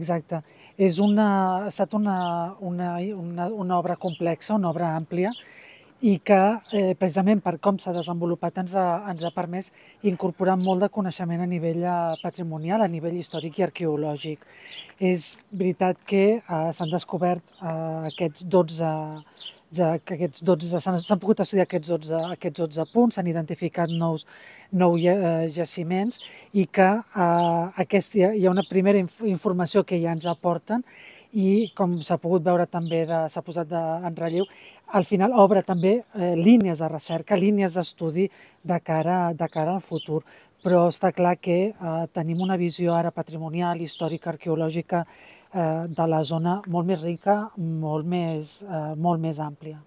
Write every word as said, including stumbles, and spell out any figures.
Exacte. És una, ha estat una, una, una, una obra complexa, una obra àmplia, i que eh, precisament per com s'ha desenvolupat ens ha, ens ha permès incorporar molt de coneixement a nivell eh, patrimonial, a nivell històric i arqueològic. És veritat que eh, s'han descobert eh, aquests dotze, ja, que aquests dotze s'han pogut estudiar aquests dotze, aquests dotze punts, s'han identificat nous, nou jaciments i que eh, aquest, hi ha una primera inf informació que ja ens aporten i, com s'ha pogut veure també, s'ha posat de, en relleu, al final obre també eh, línies de recerca, línies d'estudi de, cara, de cara al futur. Però està clar que eh, tenim una visió ara patrimonial, històrica, arqueològica eh, de la zona molt més rica, molt més, eh, molt més àmplia.